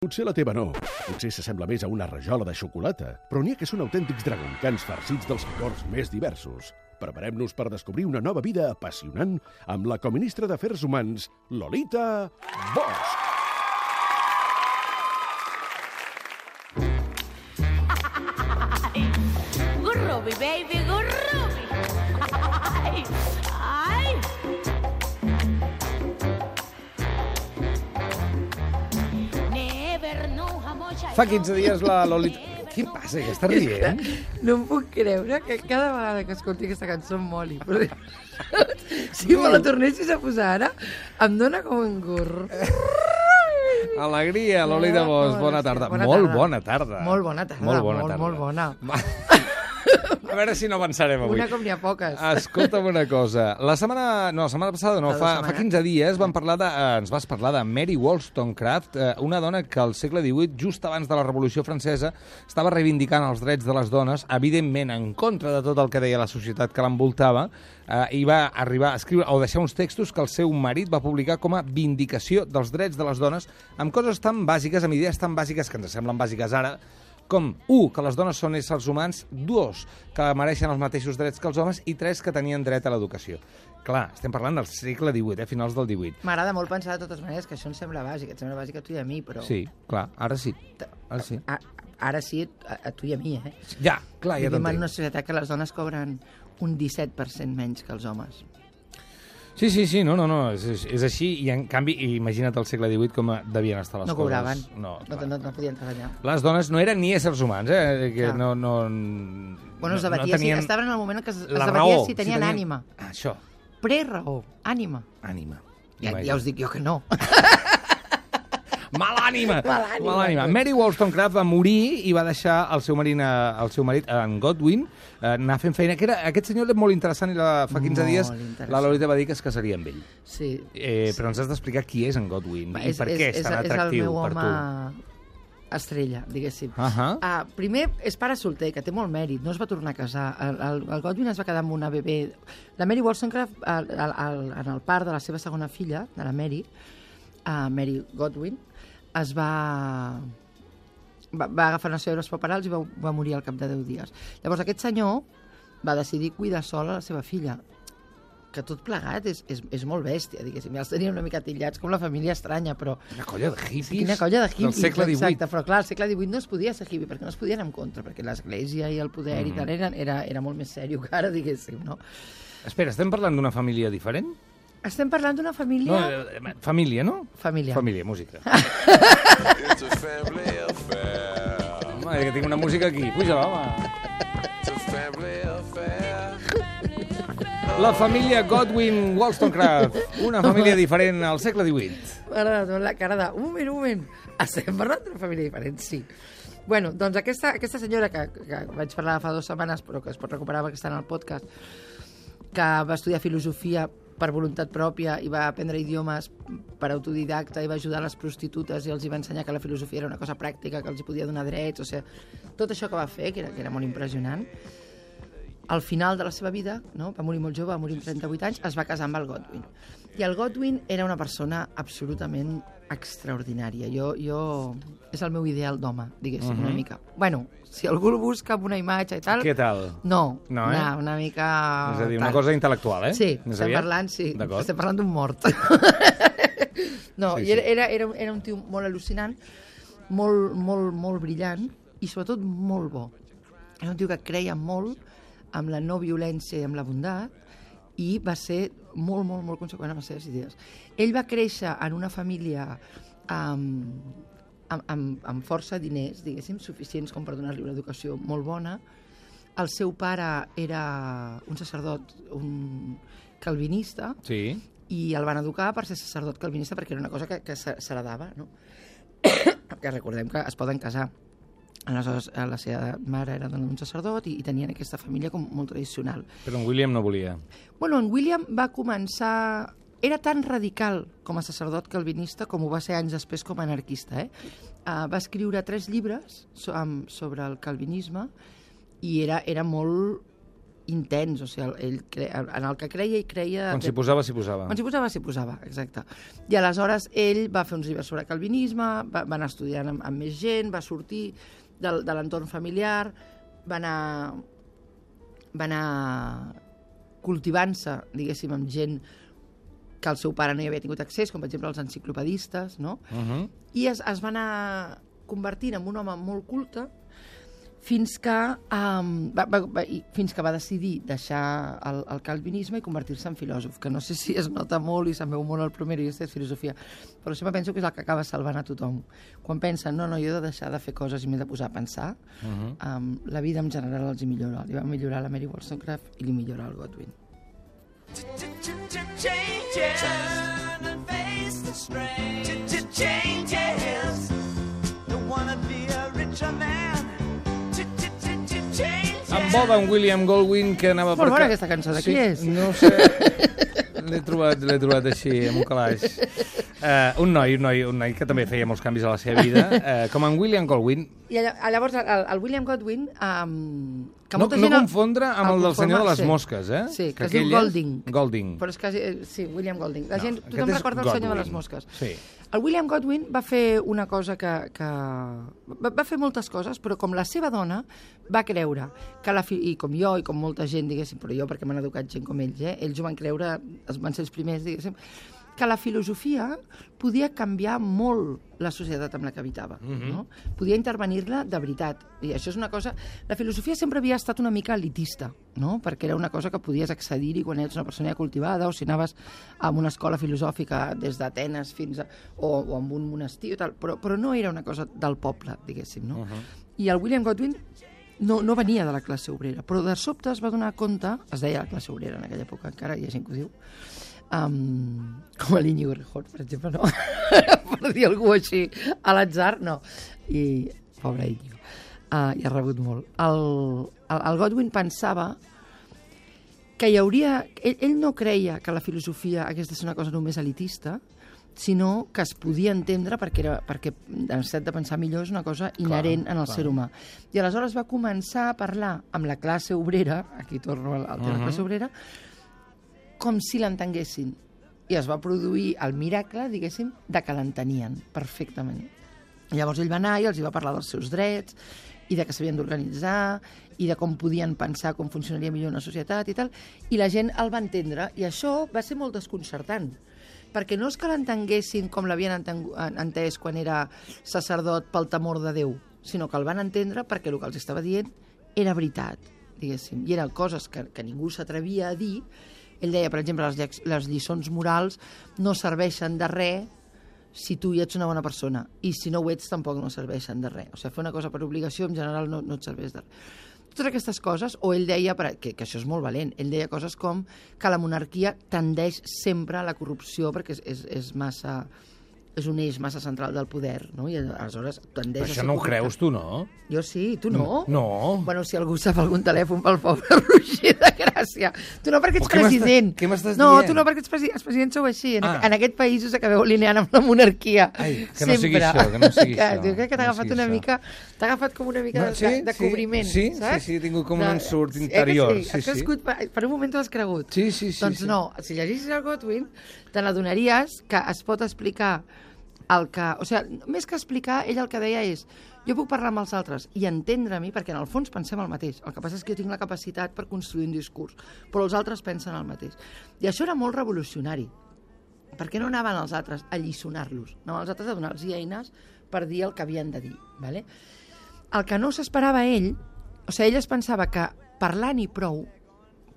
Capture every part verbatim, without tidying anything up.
Potser la teva no, potser s'assembla més a una rajola de xocolata, però n'hi ha que són autèntics dragoncans farcits dels licors més diversos. Preparem-nos per descobrir una nova vida apassionant amb la coministra d'Afers Humans, Lolita Bosch. Gurrubi, baby, gurrubi. Ai, ai. Never know how much I Fa quinze dies la Lolita... Què passa, que està rient? No em puc creure que cada vegada que escolti aquesta cançó em moli. Però... si me la tornessis a posar ara, em dóna com un gurr. Alegria, Lolita Bosch, bona tarda. Bona molt tarda. bona tarda. Molt bona tarda, Molt bona molt, tarda. molt bona. A veure si no avançarem avui. Una com n'hi ha poques. Escolta'm una cosa. La setmana... No, la setmana passada no, Fa dues fa, setmanes. fa quinze dies vam parlar de, eh, ens vas parlar de Mary Wollstonecraft, eh, una dona que al segle divuit, just abans de la Revolució Francesa, estava reivindicant els drets de les dones, evidentment en contra de tot el que deia la societat que l'envoltava, eh, i va arribar a escriure o deixar uns textos que el seu marit va publicar com a vindicació dels drets de les dones, amb coses tan bàsiques, amb idees tan bàsiques que ens semblen bàsiques ara, com, u, que les dones són éssers humans, dos, que mereixen els mateixos drets que els homes, i tres, que tenien dret a l'educació. Clar, estem parlant del segle divuit, eh, finals del divuit. M'agrada molt pensar de totes maneres que això em sembla bàsic, et sembla bàsic a tu i a mi, però... Sí, clar, ara sí. Ara sí. A, ara sí, a, a tu i a mi, eh? Ja, clar, ja Vivim en t'entenc. una societat que les dones cobren un disset per cent menys que els homes. Sí, sí, sí, no, no, no, és, és, és així, i en canvi, imagina't el segle divuit com devien estar les No coses. cobraven, No, no, clar. no, no podien treballar. Les dones no eren ni éssers humans, eh? Que Clar. no, no, Bueno, es no, debatia, no tenien si, estaven en el moment que es, es la debatia raó, si tenien ànima. Ah, això, Pre-raó, ànima. ànima. Ja, ja us dic jo que no. Mal ànima! Mal ànima. Mal ànima. Mary Wollstonecraft va morir i va deixar el seu marit, el seu marit en Godwin, eh, anar fent feina. Que era, aquest senyor és molt interessant i la, fa quinze Molt dies interessant. la Lolita va dir que es casaria amb ell. Sí. Eh, però ens has d'explicar qui és en Godwin i per què és, tan és atractiu el meu per home tu. estrella, diguéssim. Ahà. Ah, primer, és pare solter, que té molt mèrit, no es va tornar a casar. El, el, el Godwin es va quedar amb una bebè. La Mary Wollstonecraft, el, el, el, en el part de la seva segona filla, de la Mary, uh, Mary Godwin, es va... Va, va agafar unes febres puerperals i va, va morir al cap de deu dies. Llavors aquest senyor va decidir cuidar sola la seva filla, que tot plegat és, és, és molt bèstia, diguéssim. Ja els teníem una mica tillats com la família estranya, però... Una colla de hippies, Quina colla de hippies, del segle divuit. exacte, però clar, al segle divuit no es podia ser hippie, perquè no es podien en contra, perquè l'església i el poder mm. i tal era, era, era molt més sèrio que ara, diguéssim, no? Espera, estem parlant d'una família diferent? Estem parlant d'una família... No, eh, família, no? Família. Família, música. Home, que tinc una música aquí. Puja-la, home. La família Godwin Wollstonecraft, una família diferent al segle divuit. M'ha agradat molt la cara de... Un moment, un moment. Estem parlant d'una família diferent, sí. Bueno, doncs aquesta, aquesta senyora que, que vaig parlar fa dues setmanes, però que es pot recuperar perquè està en el podcast, que va estudiar filosofia per voluntat pròpia i va aprendre idiomes per autodidacta i va ajudar les prostitutes i els hi va ensenyar que la filosofia era una cosa pràctica, que els hi podia donar drets, o sigui, tot això que va fer, que era, que era molt impressionant. Al final de la seva vida, no? Va morir molt jove, va morir amb trenta-vuit anys, es va casar amb el Godwin. I el Godwin era una persona absolutament extraordinària. Jo, jo... És el meu ideal d'home, diguéssim, Mhm. una mica. Bueno, si algú el busca amb una imatge i tal... Què tal? No, No, eh? no, una mica... És a dir, una tal. cosa intel·lectual, eh? Sí, Més estem aviat? parlant, sí, D'acord. estem parlant d'un mort. no, Sí, i era, sí. era, era, un- era un tio molt al·lucinant, molt, molt, molt brillant i sobretot molt bo. Era un tio que creia molt amb la no violència i amb la bondat i va ser molt, molt, molt conseqüent amb les seves idees. Ell va créixer en una família amb, amb, amb, amb força diners, diguéssim, suficients com per donar-li una educació molt bona. El seu pare era un sacerdot, un calvinista, Sí. i el van educar per ser sacerdot calvinista perquè era una cosa que, que s'heredava, no? que recordem que es poden casar. Aleshores, la seva mare era un sacerdot i, i tenien aquesta família com molt tradicional. Però en William no volia. Bueno, en William va començar... Era tan radical com a sacerdot calvinista com ho va ser anys després com a anarquista. Eh? Uh, va escriure tres llibres so, um, sobre el calvinisme i era, era molt intens, o sigui, ell cre... en el que creia i creia... Quan s'hi posava, s'hi posava. Quan s'hi posava, s'hi posava, exacte. I aleshores ell va fer uns llibres sobre calvinisme, va, va anar estudiant amb, amb més gent, va sortir de, de l'entorn familiar, va anar, va anar cultivant-se, diguéssim, amb gent que el seu pare no hi havia tingut accés, com per exemple els enciclopedistes, no? Uh-huh. I es, es va anar convertint en un home molt culte fins que, um, va, va, va, fins que va decidir deixar el, el calvinisme i convertir-se en filòsof, que no sé si es nota molt i se'n veu molt el primer i és filosofia, però sempre penso que és el que acaba salvant a tothom. Quan pensen, no, no, jo he de deixar de fer coses i m'he de posar a pensar, uh-huh. um, la vida en general els hi millora. Li va millorar la Mary Wollstonecraft i li millora el Godwin. Changes, turn and face the strain. Changes, don't wanna be a richer man. Amb bo d'en William Goldwyn, que anava per... Molt bona aquesta cançó, de qui és? No sé, l'he trobat, l'he trobat així, amb un calaix. Uh, un noi, un noi, un noi que també feia molts canvis a la seva vida, uh, com en William Goldwyn. I llavors el, el William Godwin... Um, que no, molta no gent confondre amb el, el del senyor de les sí. mosques, eh? Sí, que, que es diu Golding. Golding. Però és quasi... Sí, William Golding. La no, gent, tothom recorda el senyor de les mosques. Sí. El William Godwin va fer una cosa que... que va, va fer moltes coses, però com la seva dona va creure que la... I com jo, i com molta gent, diguéssim, però jo perquè m'han educat gent com ells, eh? Ells ho van creure, van ser els primers, diguéssim, que la filosofia podia canviar molt la societat amb la que habitava. Mm-hmm. No? Podia intervenir-la de veritat. I això és una cosa... La filosofia sempre havia estat una mica elitista, no? Perquè era una cosa que podies accedir-hi quan ets una persona ja cultivada o si anaves a una escola filosòfica des d'Atenes fins a... o, o amb un monestir o tal, però, però no era una cosa del poble, diguéssim. No? Uh-huh. I el William Godwin no, no venia de la classe obrera, però de sobte es va donar compte, es deia la classe obrera en aquella època, encara hi ha gent que ho diu, Um, com a l'Iñigo Errejón, per exemple, no? Per dir algú així a l'atzar, no. I, pobre Iñigo, uh, hi ha rebut molt. El, el, el Godwin pensava que hi hauria... Ell, ell no creia que la filosofia hagués de ser una cosa només elitista, sinó que es podia entendre perquè, era, perquè la necessitat de pensar millor és una cosa inherent clar, en el clar. ser humà. I aleshores va començar a parlar amb la classe obrera, aquí torno al, al tema de la classe obrera, com si l'entenguessin. I es va produir el miracle, diguéssim, de que l'entenien perfectament. Llavors ell va anar i els hi va parlar dels seus drets i de que s'havien d'organitzar i de com podien pensar com funcionaria millor una societat i tal, i la gent el va entendre, i això va ser molt desconcertant, perquè no és que l'entenguessin com l'havien entès quan era sacerdot pel temor de Déu, sinó que el van entendre perquè el que els estava dient era veritat, diguéssim, i eren coses que, que ningú s'atrevia a dir. Ell deia, per exemple, les, les lliçons morals no serveixen de res si tu hi ets una bona persona, i si no ho ets tampoc no serveixen de res. O sigui, fer una cosa per obligació en general no, no et serveix de res. Totes aquestes coses, o ell deia, que, que això és molt valent, ell deia coses com que la monarquia tendeix sempre a la corrupció perquè és, és, és massa... és un eix massa central del poder, no? I aleshores tendeix Però a això ser no ho corrupte. creus tu, no? Jo sí, tu no? No. Bueno, si algú sap algun telèfon pel pobre Roger de Gràcia. Tu no perquè ets què president. Què m'estàs no, dient? tu no perquè ets president. Els presidents sou així. En, Ah. en aquest país us acabeu alineant amb la monarquia. Ai, que Sempre. no sigui això, que no sigui que, això. Jo crec que t'ha No agafat sigui una això. mica... T'ha agafat com una mica No, de, de, de cobriment, sí, saps? Sí, sí, he tingut com De- un ensurt Eh que interior. Sí, has crescut, per, per un moment t'ho has cregut. Sí, sí, sí. Doncs sí. no, si llegeixis el Godwin, te n'adonaries que es pot explicar el que... O sigui, més que explicar, ell el que deia és jo puc parlar amb els altres i entendre a mi, perquè en el fons pensem el mateix. El que passa és que jo tinc la capacitat per construir un discurs, però els altres pensen el mateix. I això era molt revolucionari, perquè no anaven els altres a lliçonar-los, anaven els altres a donar-los eines per dir el que havien de dir. Vale? El que no s'esperava ell, o sigui, ell es pensava que parlant i prou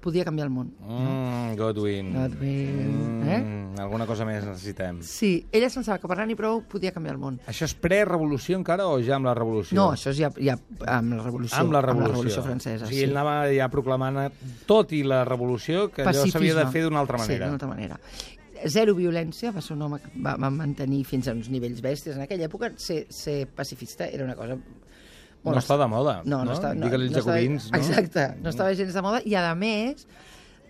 podia canviar el món. Mm, Godwin. Godwin, Mm, eh? Alguna cosa més necessitem. Sí, ell es pensava que parlant i prou podia canviar el món. Això és pre-revolució encara o ja amb la revolució? No, això és ja, ja amb la revolució. Amb la revolució. Amb la revolució francesa, O sigui, sí. ell anava ja proclamant, tot i la revolució, que allò s'havia de fer d'una altra Sí, manera. d'una altra manera. Zero violència, va ser un home que va, va mantenir fins a uns nivells bèsties. En aquella època ser, ser pacifista era una cosa... No està de moda, no? no? no, està, no, Digue-li els no estava- jacobins, no? Exacte, no estava gens de moda, i a més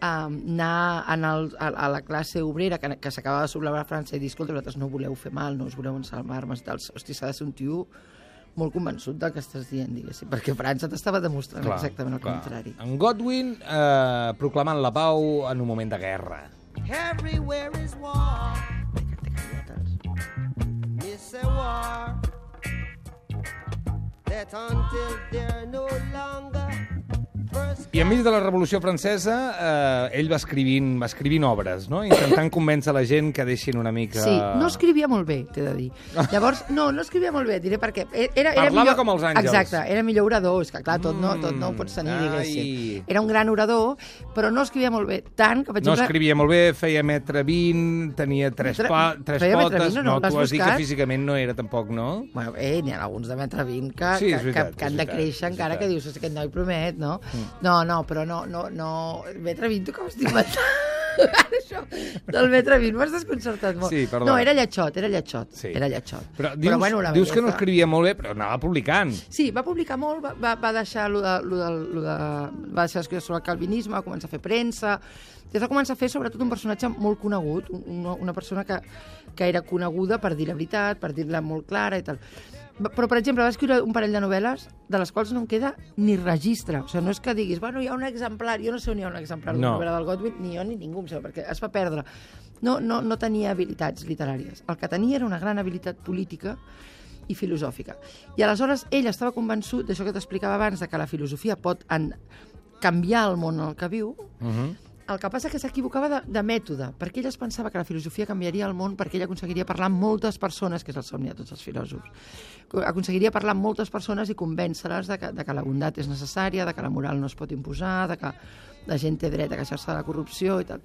um, anar en el, a, a la classe obrera que, que s'acabava de sublevar a França i dir, escolta, vosaltres no voleu fer mal, no us voleu ensalmar armes i tal, hosti, s'ha de ser un tio molt convençut del que estàs dient, diguéssim, perquè França t'estava demostrant clar, exactament el clar. contrari. En Godwin eh, proclamant la pau en un moment de guerra. Everywhere is war. It's a war that until they're no longer. I enmig de la Revolució Francesa, eh, ell va escrivint, va escrivint obres, no? Intentant convèncer la gent que deixin una mica... Sí, no escrivia molt bé, t'he de dir. Llavors, no, no escrivia molt bé, diré perquè... Era, era Parlava millor... com els àngels. Exacte, era millor orador, és que clar, tot no, tot no ho pots tenir, diguéssim. Era un gran orador, però no escrivia molt bé, tant que, per exemple... No escrivia molt bé, feia metre vint, tenia tres, Metre- pa, tres feia metre potes... vint, no, No, l'has tu has dit que buscat? físicament no era tampoc, no? Bueno, eh, n'hi ha alguns de metre vint que, Sí, és que, veritat, que, que han és de veritat, créixer és encara veritat. que dius, "És aquest noi promet, no? Mm. No, no, però no, no, no... Metre vint, tu com estic inventant? Això del metre vint m'has desconcertat molt. Sí, perdó. No, era lletxot, era lletxot. Sí. Era lletxot. Però dius, bueno, la dius que no bellesa- escrivia molt bé, però anava publicant. Sí, va publicar molt, va, va, va deixar lo de, lo de, lo de, va deixar escriure sobre el calvinisme, va començar a fer premsa, i es va començar a fer sobretot un personatge molt conegut, una, una persona que, que era coneguda per dir la veritat, per dir-la molt clara i tal. Va- Però, per exemple, va escriure un parell de novel·les de les quals no en queda ni registre. O sigui, no és que diguis, bueno, hi ha un exemplar, jo no sé on hi ha un exemplar No. d'una novel·la del Godwin, ni jo ni ningú, em sembla, perquè es va perdre. No, no, no tenia habilitats literàries. El que tenia era una gran habilitat política i filosòfica. I aleshores ell estava convençut d'això que t'explicava abans, de que la filosofia pot en canviar el món en el que viu. Uh -huh. El que passa és que s'equivocava de, de mètode, perquè ell es pensava que la filosofia canviaria el món perquè ell aconseguiria parlar amb moltes persones, que és el somni de tots els filòsofs. Aconseguiria parlar amb moltes persones i convèncer-les de, que, de que la bondat és necessària, de que la moral no es pot imposar, de que la gent té dret a queixar-se de la corrupció i tal.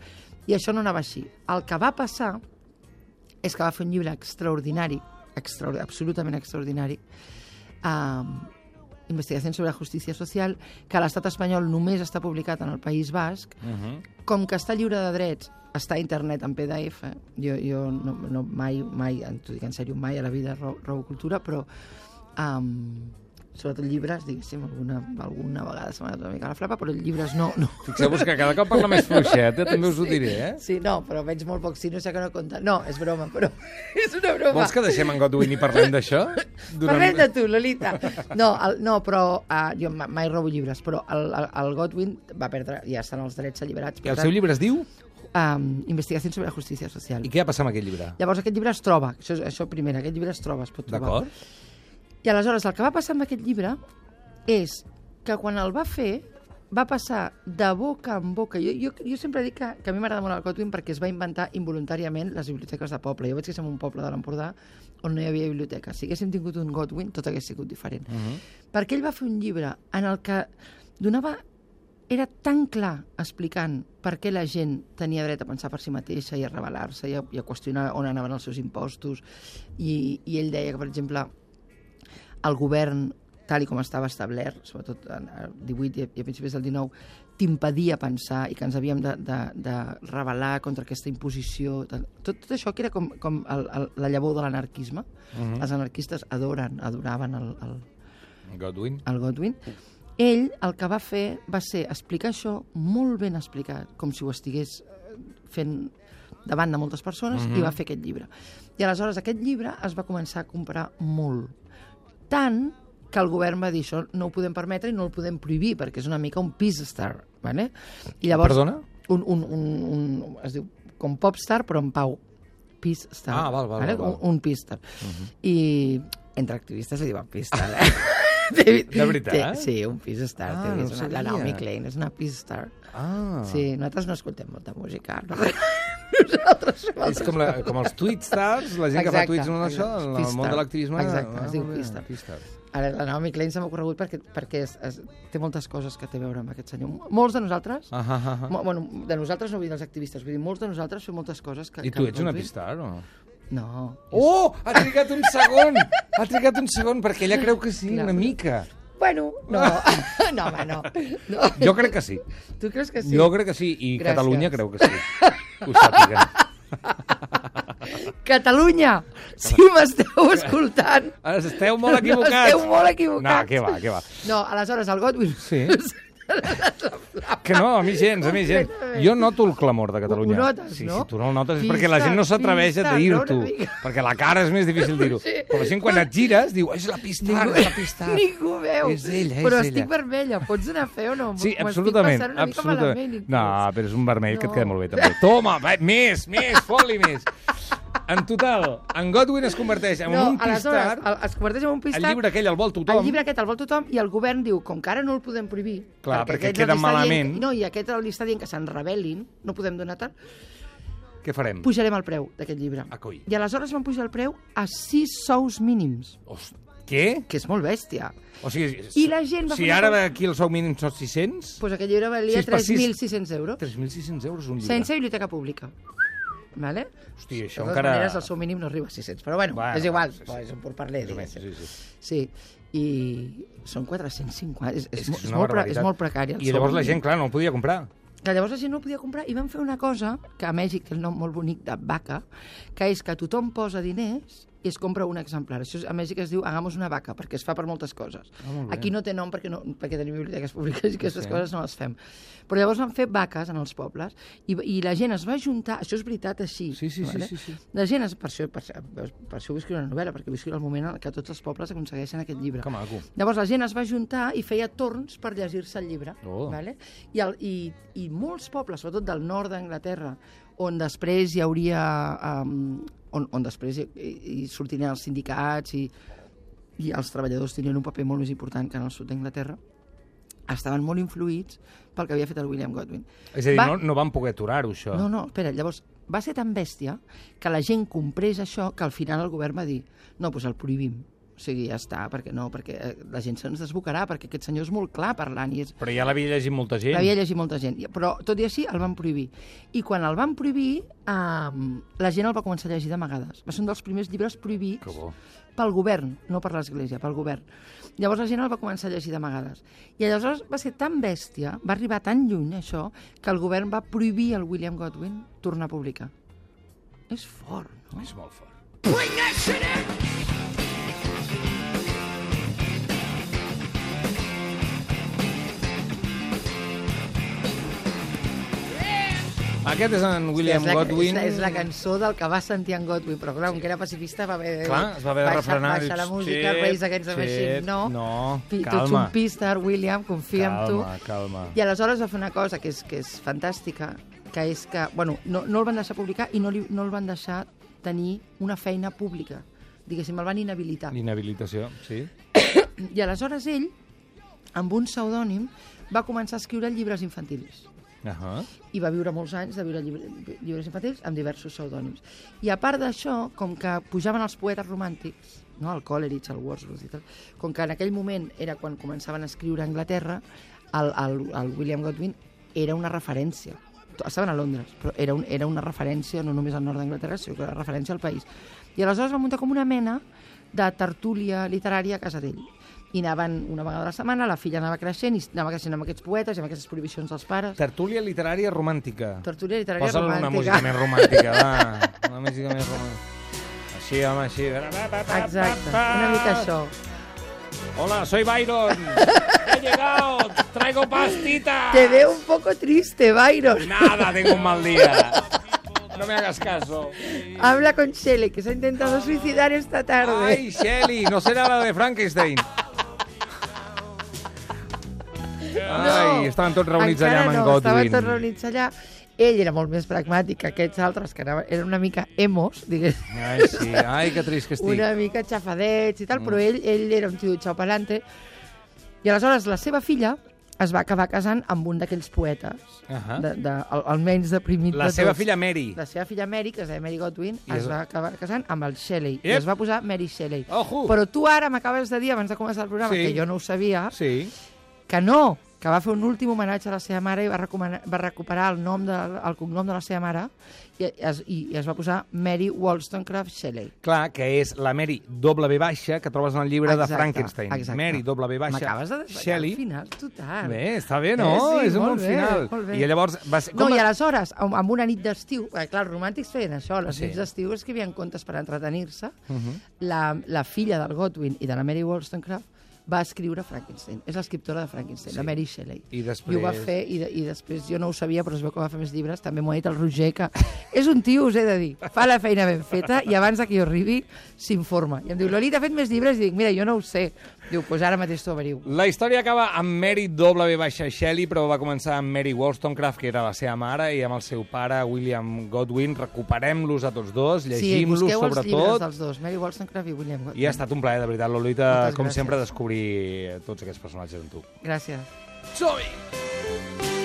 I això no anava així. El que va passar és que va fer un llibre extraordinari, extraordinari absolutament extraordinari, eh, Investigación sobre la Justícia Social, que a l'estat espanyol només està publicat en el País Basc. Uh -huh. Com que està lliure de drets, està a internet en P D F. Jo, jo no, no, mai, mai, t'ho dic en sèrio, mai a la vida robo, robo cultura, però um, sobretot llibres, diguéssim, alguna, alguna vegada se m'ha anat una mica a la flapa, però llibres no... no. Fixeu-vos que cada cop parla més fluixet, eh? També us ho diré, eh? Sí, no, però veig molt poc sí, no sé que no compta. No, és broma, però és una broma. Vols que deixem en Godwin i parlem d'això? Parlem de tu, Lolita. No, el, no però uh, jo ma- mai robo llibres, però el, el, el Godwin va perdre, ja estan els drets alliberats. I el seu llibre es diu? Um, Investigación sobre la Justícia Social. I què ha passat amb aquest llibre? Llavors aquest llibre es troba, això, és- això primer, aquest llibre es troba, es pot trobar. D'acord? I aleshores el que va passar amb aquest llibre és que quan el va fer va passar de boca en boca. Jo, jo, jo sempre dic que, que a mi m'agrada molt el Godwin perquè es va inventar involuntàriament les biblioteques de poble. Jo vaig créixer en un poble de l'Empordà on no hi havia biblioteca. Si haguéssim tingut un Godwin, tot hagués sigut diferent. Uh -huh. Perquè ell va fer un llibre en el que donava... Era tan clar explicant per què la gent tenia dret a pensar per si mateixa i a rebel·lar-se i a, i a qüestionar on anaven els seus impostos. I, i ell deia que, per exemple, el govern, tal i com estava establert, sobretot en el divuit i a principis del dinou, t'impedia pensar i que ens havíem de, de, de rebel·lar contra aquesta imposició. Tot, tot això que era com, com el, el, la llavor de l'anarquisme. Uh -huh. Els anarquistes adoren, adoraven el, el, Godwin. el Godwin. Ell el que va fer va ser explicar això molt ben explicat, com si ho estigués fent davant de moltes persones, uh -huh. i va fer aquest llibre. I aleshores aquest llibre es va començar a comprar molt. Tant que el govern va dir això no ho podem permetre i no el podem prohibir, perquè és una mica un peace star. ¿Vale? I llavors, Perdona? Un, un, un, un, es diu com popstar, però en pau. Peace star. Ah, val, val, ¿vale? val, val. Un, un peace star. Uh -huh. I entre activistes li diuen peace star, eh? De, de veritat? Té, sí, un peace star. Ah, té, no és una, sabia. la Naomi Klein és una peace star. Ah. Sí, nosaltres no escoltem molta música. No? Nosaltres fem És altres com, la, com els tweet stars, la gent que fa Exacte, tweets en això, exacte. en el Peace món star. de l'activisme. Exacte, es diu molt bé, peace star. peace star. Ara, la Naomi Klein se m'ha ocorregut perquè, perquè es, es, té moltes coses que té a veure amb aquest senyor. Molts de nosaltres, Ah, ah, ah. mo, bueno, de nosaltres no vull dir dels activistes, vull dir, molts de nosaltres fem moltes coses que... I que tu ets una Godwin- peace star, o? No. Oh! Ha trigat un segon! Ha trigat un segon, perquè ella creu que sí, Clar. una mica. Bueno, no. No, home, no. no. Jo crec que sí. Tu creus que sí? Jo crec que sí, i Gràcies. Catalunya creu que sí. Que ho sàpiguen. Catalunya, si m'esteu escoltant... Esteu molt equivocats. Esteu molt equivocats. No, què va, què va. No, aleshores, el Godwin... Sí. Que no, a mi gens, a mi gens. Jo noto el clamor de Catalunya. Ho notes, sí, no? Si tu no el notes és Pista, perquè la gent no s'atreveix a pista, dir-t'ho. no, una mica. Perquè la cara és més difícil dir-ho. Sí. Però la gent quan et gires diu, és la Pistar, és la Pistar. Ningú veu. És ella, és però ella. estic vermella, pots anar a fer o no? Sí, M'ho absolutament. estic passant una mica absolutament. malament, No, inclús. però és un vermell que et No. queda molt bé, també. Toma, va, més, més, fot-li més. En total, en Godwin es converteix en No, un aleshores, pistar. el- es converteix en un pistar. El llibre aquell el vol tothom. El llibre aquest el vol tothom i el govern diu, com que ara no el podem prohibir... Clar, perquè aquest queda li està malament. Dient, no, i aquest li està dient que se'n rebel·lin, no podem donar tant, Què farem? pujarem el preu d'aquest llibre. Ah, coi. I aleshores van pujar el preu a sis sous mínims, Host... Què? que és molt bèstia. O sigui, I la gent va si fer una ara cosa- aquí el sou mínim són sis-cents, Doncs pues aquest llibre valia Sis per sis. tres mil sis-cents euros, tres mil sis-cents euros un llibre. sense biblioteca pública. Vale? Hòstia, De això totes encara... maneres, el seu mínim no arriba a sis-cents, però bueno, Bueno, és igual, sí, sí. sí, sí. és un por parler, Més o menys, diguéssim. sí, sí. Sí, i són quatre-cents cinquanta, és, és, És, és, que és és, una molt, pre, és barbaritat. molt precari. el I llavors sou la mínim. gent, clar, no el podia comprar. Que llavors la gent no podia comprar i van fer una cosa que a Mèxic té el nom molt bonic de vaca, que és que tothom posa diners i es compra un exemplar. Això a Mèxic es diu hagamos una vaca, perquè es fa per moltes coses. Ah, molt bé. Aquí no té nom perquè, no, perquè tenim biblioteques públiques i aquestes Sí. coses no les fem. Però llavors van fer vaques en els pobles i, i la gent es va juntar, això és veritat així. Sí, sí, sí, vale? sí, sí. La gent, es, per, això, per, per, per això vull escriure una novel·la, perquè vull escriure el moment en què tots els pobles aconsegueixen aquest llibre. Que maco. Llavors la gent es va juntar i feia torns per llegir-se el llibre. Oh. Vale? I, el, i, I molts pobles, sobretot del nord d'Anglaterra, on després hi hauria... Um, on, on després hi, hi sortirien els sindicats i, i els treballadors tenien un paper molt més important que en el sud d'Anglaterra, estaven molt influïts pel que havia fet el William Godwin. És a dir, Va- no, no van poder aturar-ho, això. No, no, espera, llavors va ser tan bèstia que la gent comprés això que al final el govern va dir no, doncs el prohibim. O sigui, ja està, perquè no, perquè eh, la gent se'ns desbocarà, perquè aquest senyor és molt clar parlant i és, Però ja l'havia llegit molta gent. l'havia llegit molta gent, però tot i així el van prohibir. I quan el van prohibir, eh, la gent el va començar a llegir d'amagades. Va ser un dels primers llibres prohibits Que bo. pel govern, no per l'Església, pel govern. Llavors la gent el va començar a llegir d'amagades. I aleshores va ser tan bèstia, va arribar tan lluny això, que el govern va prohibir al William Godwin tornar a publicar. És fort, no? És molt fort. Aquest és en William és la, Godwin. És la, és la cançó del que va sentir en Godwin, però clar, com que era pacifista va haver, Clar, es va haver de baixar, refrenar. baixar la Dius, música, xip, Rage Against the xip, Machine, no. no, Pi- Tu ets calma. un pistar, William, confia en tu. Calma, calma. I aleshores va fer una cosa que és, que és fantàstica, que és que, bueno, no, no el van deixar publicar i no, li, no el van deixar tenir una feina pública. Diguéssim, el van inhabilitar. Inhabilitació, sí. I aleshores ell, amb un pseudònim, va començar a escriure llibres infantils. Uh -huh. I va viure molts anys de viure llibre, llibres infantils amb diversos pseudònims. I a part d'això, com que pujaven els poetes romàntics, no? el Coleridge, el Wordsworth i tal, com que en aquell moment era quan començaven a escriure a Anglaterra, el, el, el William Godwin era una referència. Estaven a Londres, però era, un, era una referència no només al nord d'Anglaterra, sinó que era referència al país. I aleshores va muntar com una mena de tertúlia literària a casa d'ell. I anaven una vegada a la setmana, la filla anava creixent i anava creixent amb aquests poetes i amb aquestes prohibicions dels pares. Tertúlia literària romàntica. Tertúlia literària Posa'l romàntica. una música més romàntica, va. Una música més romàntica. Així, home, així. Exacte, una mica això. Hola, soy Byron. He llegado. Traigo pastitas. Te veo un poco triste, Byron. Nada, tengo un mal día. No me hagas caso. Habla con Shelley, que se ha intentado suicidar esta tarde. Ay, Shelly, no será la de Frankenstein. Ai, estaven tots reunits allà amb en no, Godwin. estaven tots reunits allà. Ell era molt més pragmàtic que aquests altres, que anaven, eren una mica emos, digués. Ai, sí, ai, que trist que estic. Una mica xafadets i tal, però ell, ell era un tio de xaupalante. I aleshores la seva filla es va acabar casant amb un d'aquells poetes, Ahà. de, de, el, el menys deprimit La de seva tots. filla Mary. La seva filla Mary, que es deia Mary Godwin, I es es- va acabar casant amb el Shelley. I Ep. es va posar Mary Shelley. Ojo. Però tu ara m'acabes de dir, abans de començar el programa, Sí. que jo no ho sabia, Sí. que no, que va fer un últim homenatge a la seva mare i va, recomanar, va recuperar el, nom de, el cognom de la seva mare i es, i es va posar Mary Wollstonecraft Shelley. Clar, que és la Mary W baixa que trobes en el llibre Exacte, de Frankenstein. exacte. Mary W baixa. M'acabes de desvetllar Shelley. al final, total. Bé, està bé, no? Eh, sí, és un molt bon bé, final. molt bé. I llavors va ser... No, com i a- aleshores, amb, amb una nit d'estiu, eh, clar, els romàntics feien això, les Sí. nits d'estiu escrivien contes per entretenir-se, Uh -huh. la, la filla del Godwin i de la Mary Wollstonecraft va escriure Frankenstein. És l'escriptora de Frankenstein, Sí. la Mary Shelley. I després... I ho va fer, i, de, i després jo no ho sabia, però es veu que va fer més llibres. També m'ho ha dit el Roger, que és un tio, us he de dir, fa la feina ben feta i abans que jo arribi s'informa. I em diu, Lolita, ha fet més llibres? I dic, mira, jo no ho sé. Diu, doncs pues ara mateix t'ho averiu. La història acaba amb Mary W. Shelley, però va començar amb Mary Wollstonecraft, que era la seva mare, i amb el seu pare, William Godwin. Recuperem-los a tots dos, llegim-los, sí, busqueu els llibres sobretot. dels dos, Mary Wollstonecraft i William Godwin. I ha estat un plaer, de veritat, Lolita, Moltes com gràcies. sempre, descobrir tots aquests personatges amb tu. Gràcies. Som-hi!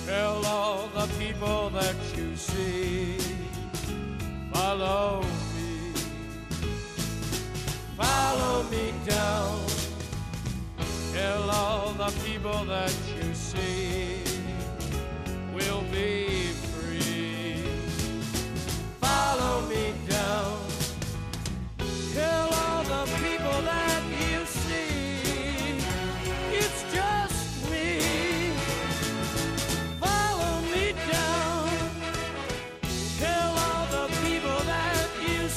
Tell all the people that you see, follow me, follow me down. Tell all the people that you see, we'll be